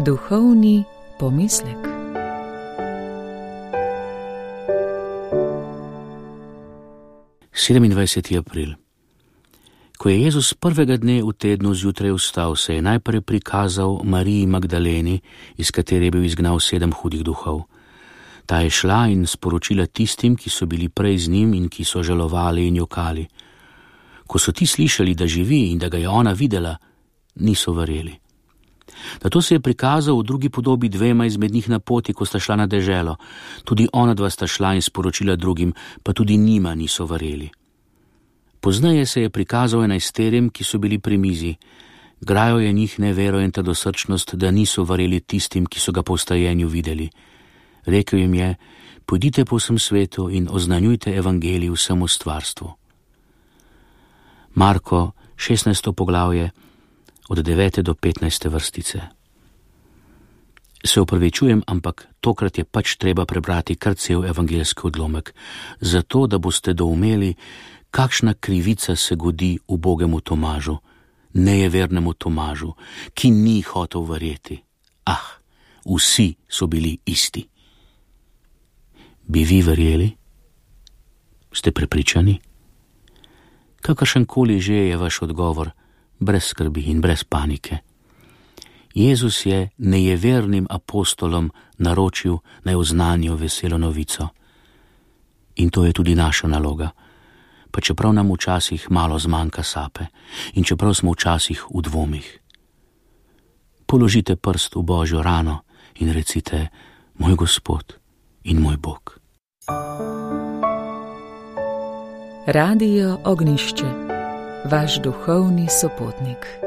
Duhovni pomislek. Sedemindvajseti april. Ko je Jezus prvega dne v tednu zjutraj vstal, se je najprej prikazal Mariji Magdaleni, iz katere je bil izgnal 7 hudih duhov. Ta je šla in sporočila tistim, ki so bili prej z njim in ki so žalovali in jokali. Ko so ti slišali, da živi in da ga je ona videla, niso verjeli. Nato se je prikazal v drugi podobi 2 izmed njih na poti, ko sta šla na deželo. Tudi ona 2 sta šla in sporočila drugim, pa tudi njima niso verjeli. Pozneje se je prikazal 11, ki so bili pri mizi. Grajo je njih nevero in trdosrčnost, da niso verjeli tistim, ki so ga po vstajenju videli. Rekel jim je: pojdite po vsem svetu in oznanjujte evangelij vsemu stvarstvu. Marko, 16. poglavje, od 9. do 15. vrstice. Se opravičujem, ampak tokrat je pač treba prebrati kar cel evangeljski odlomek, zato da boste doumeli, kakšna krivica se godi ubogemu Tomažu, nejevernemu Tomažu, ki ni hotel verjeti. Vsi so bili isti. Bi vi verjeli? Ste prepričani? Kakršenkoli že je vaš odgovor, brez skrbi in brez panike. Jezus je nejevernim apostolom naročil, naj oznanijo veselo novico. In to je tudi naša naloga, pa čeprav nam včasih malo zmanjka sape in čeprav smo včasih v dvomih. Položite prst v Božjo rano in recite: moj Gospod in moj Bog. Radio Ognišče, vaš duhovni sopotnik.